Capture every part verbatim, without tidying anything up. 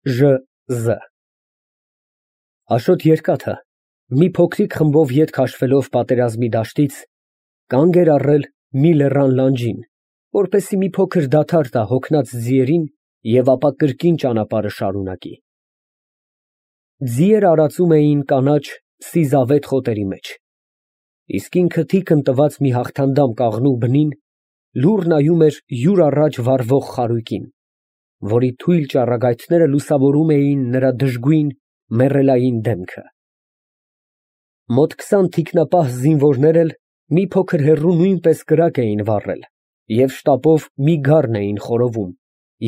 Ժ Զ Աշոտ երկաթը, մի փոքրիկ խմբով ետ քաշվելով պատերազմի դաշտից, կանգ էր առել մի լեռան լանջին, որպեսզի մի փոքր դադար տա հոգնած ձիերին և ապա կրկին ճանապարհը շարունակի։ Ձիերը արածում էին կանաչ սիզավետ խոտերի մեջ, իսկ ինքը թիկն տված մի հաղթանդամ կաղնու բնին լուռ նայում էր յուր առաջ վառվող խարույկին, որի թույլ ճառագայթները լուսավորում էին նրա դժգույն, մեռելային դեմքը։ Մոտ քսան թիկնապահ զինվորներ էլ մի փոքր հեռու նույնպես կրակ էին վառել և շտապով մի գառն էին խորովում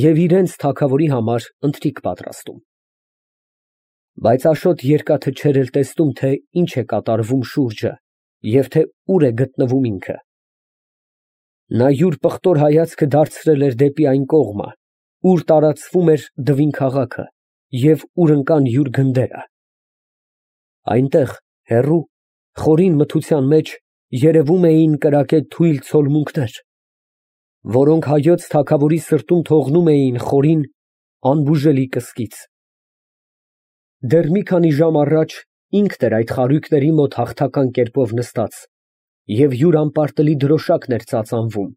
և իրենց թագավորի համար ընթրիք պատրաստում։ Բայց Աշոտ երկաթը չէր էլ տեսնում, թե ինչ է կատարվում շուրջը և թե ուր է գտնվում ինքը։ Նա յուր պղտոր հայացքը դարձրել էր դեպի այն կողմը, ուր տարածվում էր Դվին քաղաքը և ուր ընկան յուր գնդերը։ Այնտեղ, հեռու, խորին մթության մեջ երևում էին կրակե թույլ ցոլմունքներ, որոնք հայոց թագավորի սրտում թողնում էին խորին, անբուժելի կսկիծ։ Դեռ մի քանի ժամ առաջ ինքն էր այդ խարույկների մոտ հաղթական կերպով նստած և յուր անպարտելի դրոշակն էր ծածանվում,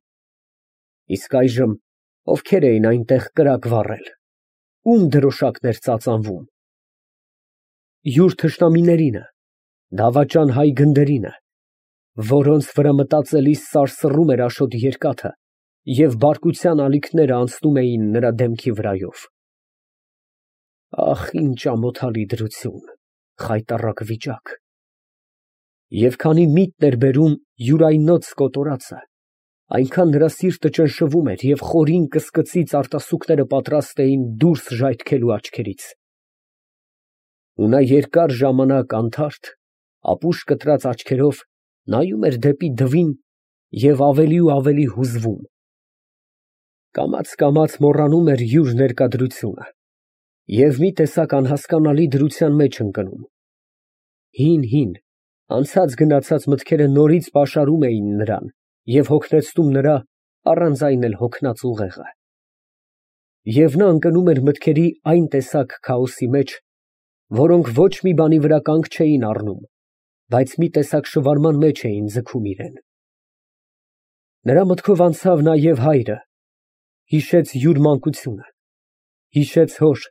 իսկ այժմ ովքեր էին այնտեղ կրակ վառել, ում դրոշակն էր ծածանվում։ Յուր թշնամիներինը, դավաճան հայ գնդերինը, որոնց վրա մտածելիս սարսռում էր Աշոտ երկաթը և բարկության ալիքները անցնում էին նրա դեմքի վրայով։ Ահ, ինչ ամոթալի դրություն, խայտառակ վիճակ։ Եվ քանի միտն էր բերում յուրայնոց կոտորածը, այնքան նրա սիրտը ճնշվում էր և խորին կսկծից արտասուքները պատրաստ էին դուրս ժայթքելու աչքերից։ Ու նա երկար ժամանակ անթարթ, ապուշ կտրած աչքերով նայում էր դեպի Դվին և ավելի ու ավելի հուզվում։ Կամաց֊կամաց մոռանում էր յուր ներկադրությունը և մի տեսակ անհասկանալի դրության մեջ ընկնում։ Հին֊հին, անցած֊գնացած մտքերը նորից պաշարում էին նրան և հոգնեցնում նրա առանց այն էլ հոգնած ուղեղը։ Եվ նա ընկնում էր մտքերի այն տեսակ քաոսի մեջ, որոնք ոչ մի բանի վրա կանգ չէին առնում, բայց մի տեսակ շվարման մեջ էին ձգում իրան։ Նրա մտքով անցավ նաև հայրը, հիշեց յուր մանկությունը, հիշեց հոր,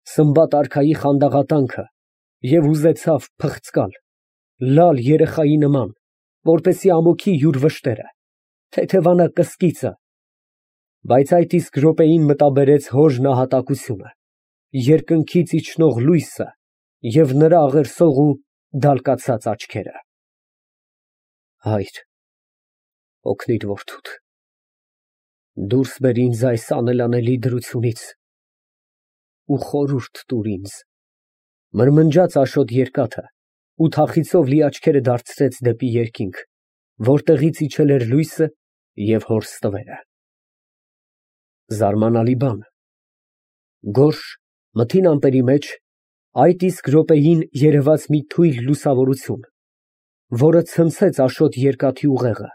Սմբատ արքայի խանդաղատանքը և ուզեցավ փղծկալ, լալ երեխայի նման, որպեսզի ամոթի յուր վշտերը, թեթևանա կսկիծը, բայց այդ իսկ րոպեին մտաբերեց հոր նահատակությունը, երկնքից իջնող լույսը և նրա աղերսող ու դալկացած աչքերը։ Հայր, օգնիր որդուդ, դուրս բեր ինձ այս անելանելի դրությունից ու խորհուրդ տուր ինձ, մրմնջաց Աշոտ երկաթը ու թախիծով լի աչքերը դարձրեց դեպի երկինք, որտեղից իջել էր լույսը և հոր ստվերը։ Զարմանալի բան, գորշ, մթին ամպերի մեջ այդ իսկ րոպեին երևաց մի թույլ լուսավորություն, որը ցնցեց Աշոտ երկաթի ուղեղը,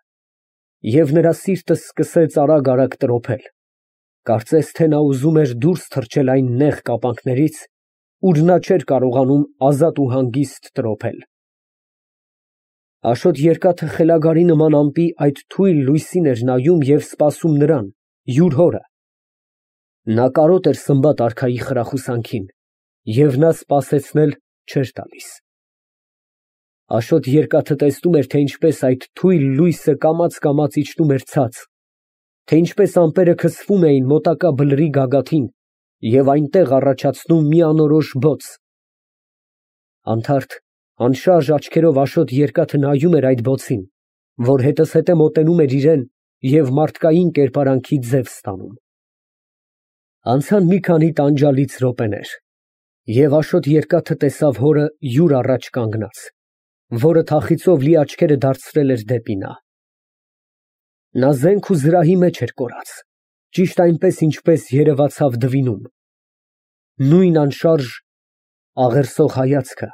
և նրա սիրտը սկսեց արագ֊արագ տրոփել, կարծես թե նա ուզում էր դուրս թռչել այն նեղ կապանքներից, ուր նա չէր կարողանում ազատ ու հանգիստ տրոփել։ Աշոտ երկաթը խելագարի նման ամպի այդ թույլ լույսին էր նայում և սպասում նրան, յուր հորը։ Նա կարոտ էր Սմբատ արքայի խրախուսանքին և նա սպասեցնել չէր տալիս։ Աշոտ երկաթը տեսնում էր, թե ինչպես այդ թույլ լույսը կամաց֊կամաց իջնում էր ցած, թե ինչպես ամպերը քսվում էին մոտակա բլրի գագաթին և այնտեղ առաջացնում մի անորոշ բոց։ Անթարթ, անշարժ աչքերով Աշոտ երկաթը նայում էր այդ բոցին, որ հետզհետե մոտենում էր իրան և մարդկային կերպարանքի ձև ստանում։ Անցան մի քանի տանջալից րոպեներ, և Աշոտ երկաթը տեսավ հորը յուր առաջ կանգնած, որը թախիծով լի աչքերը դարձրել էր դեպի նա։ Նա զենք ու զրահի մեջ էր կորած, ճիշտ այնպես, ինչպես երևացավ Դվինում, նույն անշարժ, աղերսող հայացքը,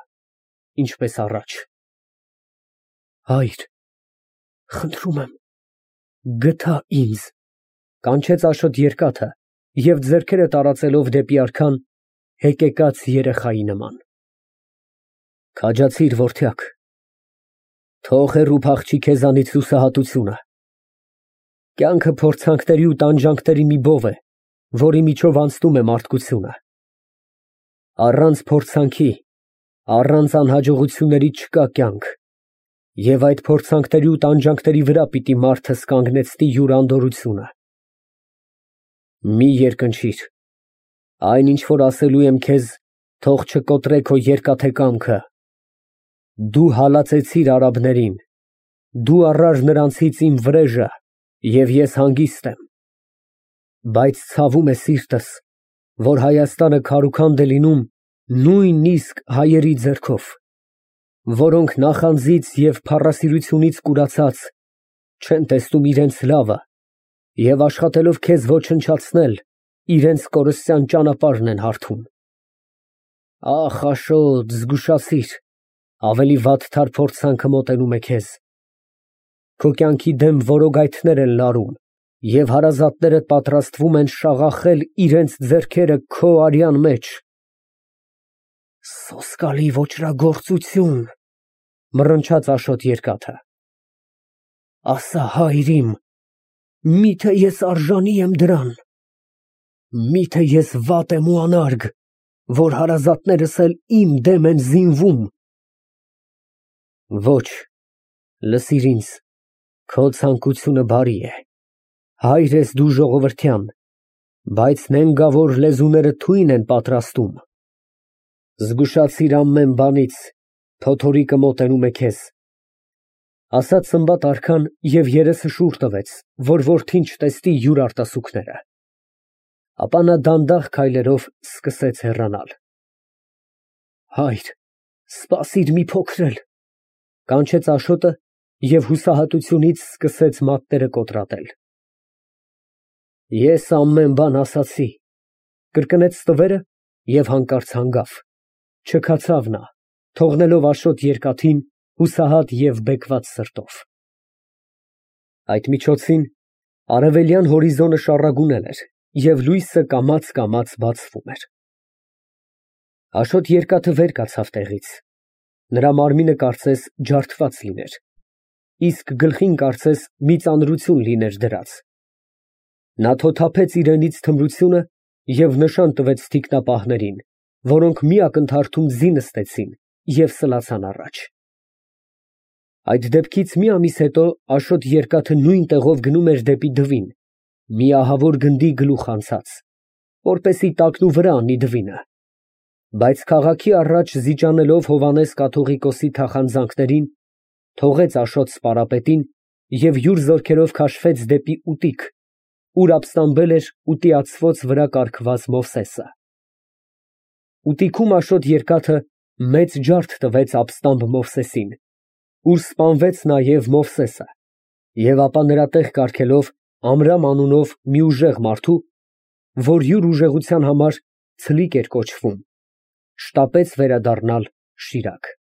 ինչպես առաջ։ Հայր, խնդրում եմ, գթա ինձ, կանչեց Աշոտ երկաթը և ձեռքերը տարածելով դեպի արքան, հեկեկած երեխայի նման։ Քաջացիր, որդյակ, թող հեռու փախչի քեզանից հուսահատությունը։ Կյանքը փորձանքների ու տանջանքների մի բով է, որի միջով անցնում է մարդկությունը։ Առանց փորձանքի, առանց անհաջողությունների չկա կյանք, և այդ փորձանքների ու տանջանքների վրա պիտի մարդս կանգնեցնի յուր անդորրությունը։ Մի երկնչիր, այն ինչ որ ասելու եմ քեզ, թող չկոտրե քո երկաթե կամքը։ Դու հալածեցիր արաբներին, դու առար նրանցից իմ վրեժը, և ես հանգիստ եմ։ Բայց ցավում է սիրտս, որ Հայաստանը քարուքանդ է լինում նույնիսկ հայերի ձեռքով, որոնք նախանձից և փառասիրությունից կուրացած չեն տեսնում իրենց լավը և աշխատելով քեզ ոչնչացնել, իրենց կորստյան ճանապարհն են հարթում։ Ախ, Աշոտ, զգուշացիր, ավելի վատթար փորձանքը մոտենում է քեզ։ Քո կյանքի դեմ որոգայթներ են լարում և հարազատներդ պատրաստվում են շաղախել իրենց ձեռքերը քո արյան մեջ։ Սոսկալի ոճրագործություն, մռնչաց Աշոտ երկաթը։ Ասա, հայր իմ, միթե ես արժանի եմ դրան, միթե ես վատ եմ ու անարգ, որ հարազատներս էլ իմ դեմ են զինվում։ Ոչ, լսիր ինձ, քո ցանկությունը բարի է, հայր ես դու ժողովրդյան, բայց նենգավոր լեզուները թույն են պատրաստում։ Զգուշացիր ամեն բանից, փոթորիկը մոտենում է քեզ։ Ասաց Սմբատ արքան և երեսը շուռ տվեց, որ որդին չտեսնի յուր արտասուքները։ Ապա նա դանդաղ քայլերով սկսեց հեռանալ։ Հայր, սպասիր մի փոքր էլ, կանչեց Աշոտը և հուսահատությունից սկսեց մատները կոտրատել։ Ես ամեն բան ասացի, կրկնեց ստվերը և հանկարծ հանգավ, չքացավ նա, թողնելով Աշոտ երկաթին հուսահատ և բեկված սրտով։ Այդ միջոցին արևելյան հորիզոնը շառագունել էր և լույսը կամաց֊կամաց բացվում էր։ Աշոտ երկաթը վեր կացավ տեղից, նրա մարմինը կարծես ջարդված լիներ, իսկ գլխին կարծես մի ծանրություն լիներ դրած։ Նա թոթափեց իրենից թմրությունը և նշան տվեց թիկնապահներին, որոնք մի ակնթարթում ձի նստեցին և սլացան առաջ։ Այդ դեպքից մի ամիս հետո Աշոտ երկաթը նույն տեղով գնում էր դեպի Դվին, մի ահավոր գնդի գլուխ անցած, որպեսզի տակնուվրա վրա անի Դվինը, բայց քաղաքի առաջ զիջանելով Հովհաննես կաթողիկոսի թախանձանքներին, թողեց Աշոտ սպարապետին և յուր զորքերով քաշվեց դեպի Ուտիկ, ուր ապստամբել էր ուտիացվոց վրա կառքված Մովսեսը։ Ուտիքում Աշոտ երկաթը մեծ ջարդ տվեց ապստամբ Մովսեսին, ուր սպանվեց նաև Մովսեսը, և ապա նրա տեղ կարգելով Ամրամ անունով մի ուժեղ մարդու, որ յուր ուժեղության համար Ցլիկ էր կոչվում, շտապեց վերադառնալ Շիրակ։